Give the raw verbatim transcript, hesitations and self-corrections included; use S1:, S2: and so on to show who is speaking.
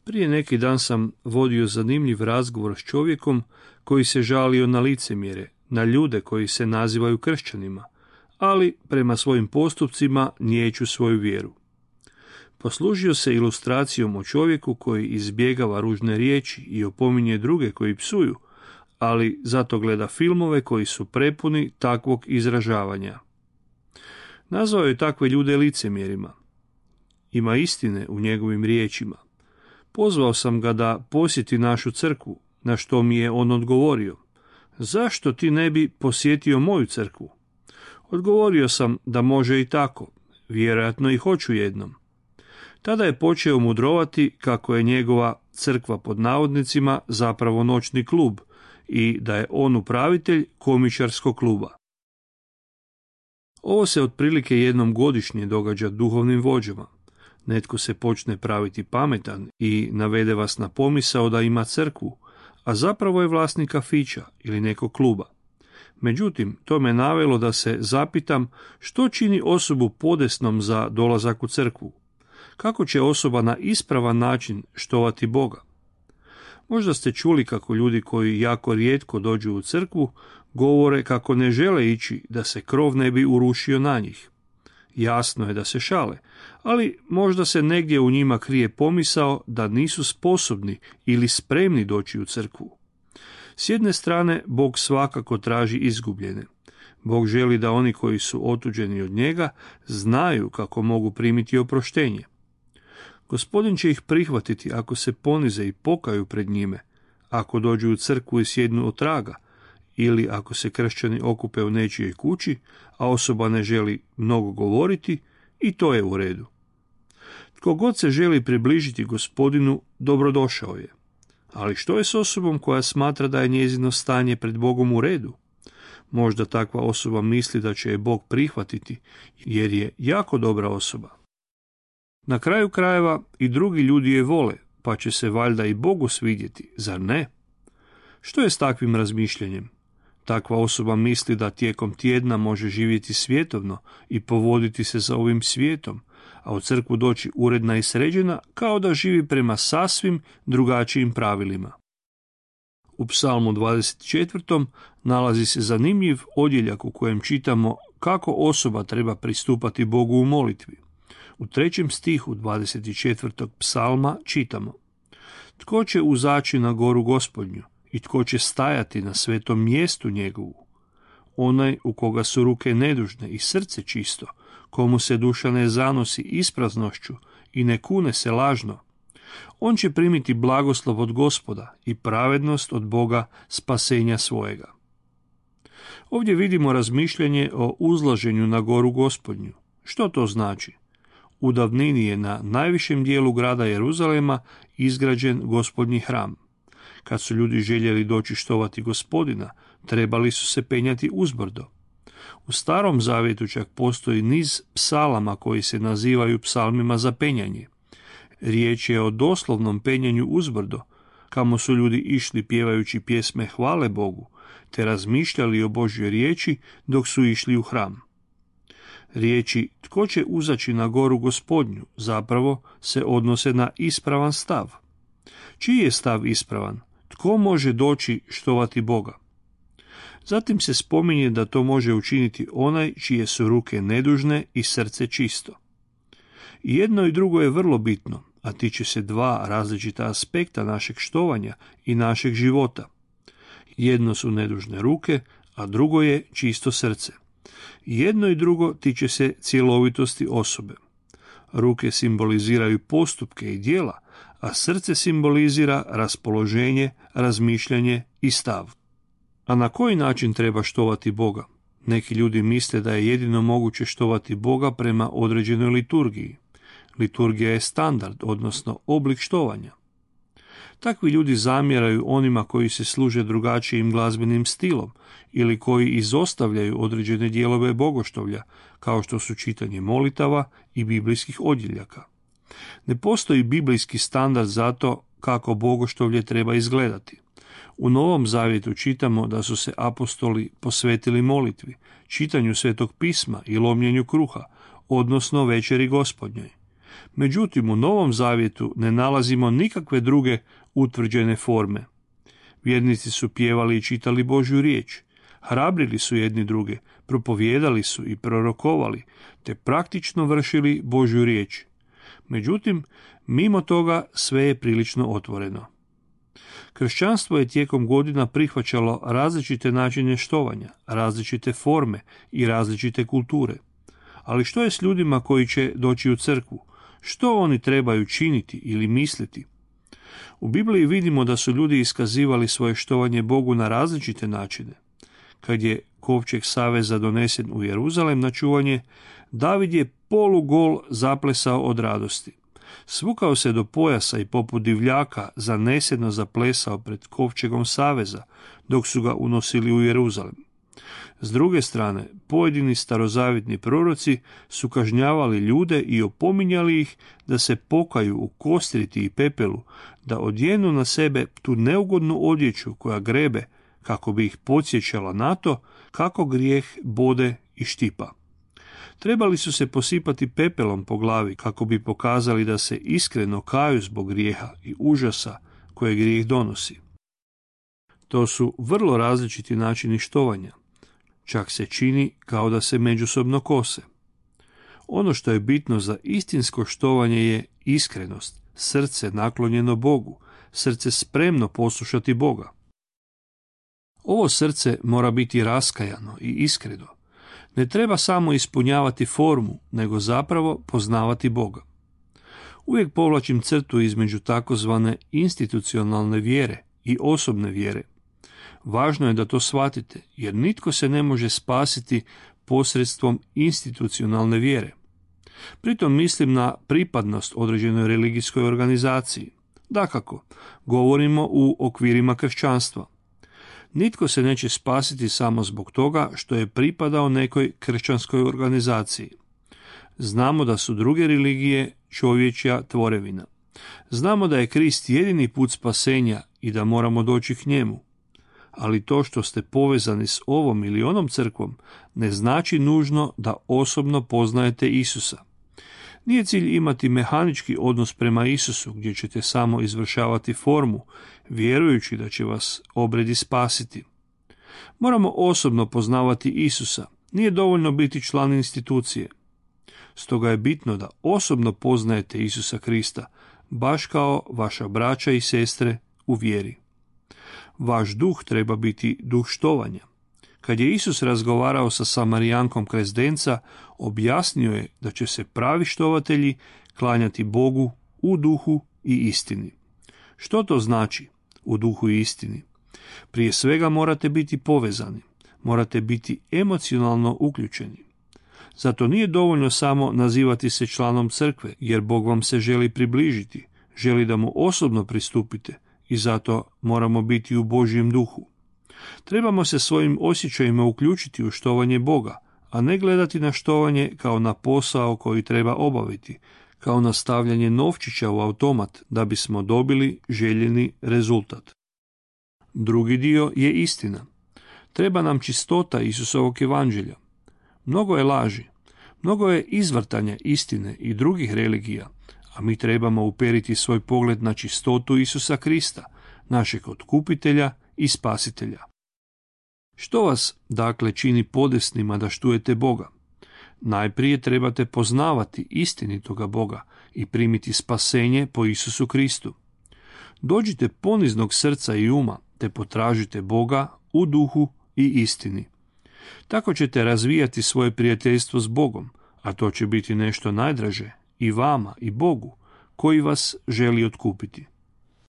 S1: Prije neki dan sam vodio zanimljiv razgovor s čovjekom koji se žalio na licemjere, na ljude koji se nazivaju kršćanima, ali prema svojim postupcima niječu svoju vjeru. Poslužio se ilustracijom o čovjeku koji izbjegava ružne riječi i opominje druge koji psuju, ali zato gleda filmove koji su prepuni takvog izražavanja. Nazvao je takve ljude licemjerima. Ima istine u njegovim riječima. Pozvao sam ga da posjeti našu crkvu, na što mi je on odgovorio: zašto ti ne bi posjetio moju crkvu? Odgovorio sam da može i tako, vjerojatno i hoću jednom. Tada je počeo mudrovati kako je njegova crkva pod navodnicima zapravo noćni klub i da je on upravitelj komičarskog kluba. Ovo se otprilike jednom godišnje događa duhovnim vođama. Netko se počne praviti pametan i navede vas na pomisao da ima crkvu, a zapravo je vlasnik kafića ili nekog kluba. Međutim, to me navelo da se zapitam što čini osobu podesnom za dolazak u crkvu. Kako će osoba na ispravan način štovati Boga? Možda ste čuli kako ljudi koji jako rijetko dođu u crkvu govore kako ne žele ići da se krov ne bi urušio na njih. Jasno je da se šale, ali možda se negdje u njima krije pomisao da nisu sposobni ili spremni doći u crkvu. S jedne strane, Bog svakako traži izgubljene. Bog želi da oni koji su otuđeni od njega znaju kako mogu primiti oproštenje. Gospodin će ih prihvatiti ako se ponize i pokaju pred njime, ako dođu u crkvu i sjednu od traga, ili ako se kršćani okupe u nečijoj kući, a osoba ne želi mnogo govoriti, i to je u redu. Tko god se želi približiti Gospodinu, dobrodošao je. Ali što je s osobom koja smatra da je njezino stanje pred Bogom u redu? Možda takva osoba misli da će je Bog prihvatiti, jer je jako dobra osoba. Na kraju krajeva i drugi ljudi je vole, pa će se valjda i Bogu svidjeti, zar ne? Što je s takvim razmišljanjem? Takva osoba misli da tijekom tjedna može živjeti svjetovno i povoditi se za ovim svijetom, a u crkvu doći uredna i sređena kao da živi prema sasvim drugačijim pravilima. U Psalmu dvadeset četvrtom nalazi se zanimljiv odjeljak u kojem čitamo kako osoba treba pristupati Bogu u molitvi. U trećem stihu dvadeset četvrtog psalma čitamo: tko će uzaći na goru Gospodnju i tko će stajati na svetom mjestu njegovu? Onaj u koga su ruke nedužne i srce čisto, komu se duša ne zanosi ispraznošću i ne kune se lažno. On će primiti blagoslov od Gospoda i pravednost od Boga spasenja svojega. Ovdje vidimo razmišljanje o uzlaženju na goru Gospodnju. Što to znači? U davnini je na najvišem dijelu grada Jeruzalema izgrađen Gospodnji hram. Kad su ljudi željeli doći štovati Gospodina, trebali su se penjati uzbrdo. U Starom zavjetu čak postoji niz psalama koji se nazivaju psalmima za penjanje. Riječ je o doslovnom penjanju uzbrdo, kamo su ljudi išli pjevajući pjesme hvale Bogu, te razmišljali o Božjoj riječi dok su išli u hram. Riječi tko će uzaći na goru Gospodnju zapravo se odnose na ispravan stav. Čiji je stav ispravan? Tko može doći štovati Boga? Zatim se spominje da to može učiniti onaj čije su ruke nedužne i srce čisto. I jedno i drugo je vrlo bitno, a tiče se dva različita aspekta našeg štovanja i našeg života. Jedno su nedužne ruke, a drugo je čisto srce. Jedno i drugo tiče se cjelovitosti osobe. Ruke simboliziraju postupke i djela, a srce simbolizira raspoloženje, razmišljanje i stav. A na koji način treba štovati Boga? Neki ljudi misle da je jedino moguće štovati Boga prema određenoj liturgiji. Liturgija je standard, odnosno oblik štovanja. Takvi ljudi zamjeraju onima koji se služe drugačijim glazbenim stilom ili koji izostavljaju određene dijelove bogoštovlja, kao što su čitanje molitava i biblijskih odjeljaka. Ne postoji biblijski standard za to kako bogoštovlje treba izgledati. U Novom Zavjetu čitamo da su se apostoli posvetili molitvi, čitanju Svetog pisma i lomljenju kruha, odnosno večeri Gospodnjoj. Međutim, u Novom Zavjetu ne nalazimo nikakve druge utvrđene forme. Vjernici su pjevali i čitali Božju riječ, hrabrili su jedni druge, propovijedali su i prorokovali, te praktično vršili Božju riječ. Međutim, mimo toga sve je prilično otvoreno. Kršćanstvo je tijekom godina prihvaćalo različite načine štovanja, različite forme i različite kulture. Ali što je s ljudima koji će doći u crkvu? Što oni trebaju činiti ili misliti? U Bibliji vidimo da su ljudi iskazivali svoje štovanje Bogu na različite načine. Kad je kovčeg saveza donesen u Jeruzalem na čuvanje, David je polugol zaplesao od radosti. Svukao se do pojasa i poput divljaka zaneseno zaplesao pred kovčegom saveza, dok su ga unosili u Jeruzalem. S druge strane, pojedini starozavjetni proroci su kažnjavali ljude i opominjali ih da se pokaju u kostriti i pepelu, da odjenu na sebe tu neugodnu odjeću koja grebe, kako bi ih podsjećala na to kako grijeh bode i štipa. Trebali su se posipati pepelom po glavi kako bi pokazali da se iskreno kaju zbog grijeha i užasa koje grijeh donosi. To su vrlo različiti načini štovanja. Čak se čini kao da se međusobno kose. Ono što je bitno za istinsko štovanje je iskrenost, srce naklonjeno Bogu, srce spremno poslušati Boga. Ovo srce mora biti raskajano i iskreno. Ne treba samo ispunjavati formu, nego zapravo poznavati Boga. Uvijek povlačim crtu između takozvane institucionalne vjere i osobne vjere. Važno je da to shvatite, jer nitko se ne može spasiti posredstvom institucionalne vjere. Pritom mislim na pripadnost određenoj religijskoj organizaciji. Dakako, govorimo u okvirima kršćanstva. Nitko se neće spasiti samo zbog toga što je pripadao nekoj kršćanskoj organizaciji. Znamo da su druge religije čovječja tvorevina. Znamo da je Krist jedini put spasenja i da moramo doći k njemu. Ali to što ste povezani s ovom ili onom crkvom ne znači nužno da osobno poznajete Isusa. Nije cilj imati mehanički odnos prema Isusu gdje ćete samo izvršavati formu, vjerujući da će vas obredi spasiti. Moramo osobno poznavati Isusa, nije dovoljno biti član institucije. Stoga je bitno da osobno poznajete Isusa Krista, baš kao vaša braća i sestre u vjeri. Vaš duh treba biti duh štovanja. Kad je Isus razgovarao sa Samarijankom kraj zdenca, objasnio je da će se pravi štovatelji klanjati Bogu u duhu i istini. Što to znači u duhu i istini? Prije svega morate biti povezani, morate biti emocionalno uključeni. Zato nije dovoljno samo nazivati se članom crkve, jer Bog vam se želi približiti, želi da mu osobno pristupite i zato moramo biti u Božjem duhu. Trebamo se svojim osjećajima uključiti u štovanje Boga, a ne gledati na štovanje kao na posao koji treba obaviti, kao na stavljanje novčića u automat da bismo dobili željeni rezultat. Drugi dio je istina. Treba nam čistota Isusovog evanđelja. Mnogo je laži, mnogo je izvrtanja istine i drugih religija, a mi trebamo uperiti svoj pogled na čistotu Isusa Krista, našeg otkupitelja i spasitelja. Što vas, dakle, čini podesnima da štujete Boga? Najprije trebate poznavati istinitoga Boga i primiti spasenje po Isusu Kristu. Dođite poniznog srca i uma, te potražite Boga u duhu i istini. Tako ćete razvijati svoje prijateljstvo s Bogom, a to će biti nešto najdraže i vama i Bogu, koji vas želi otkupiti.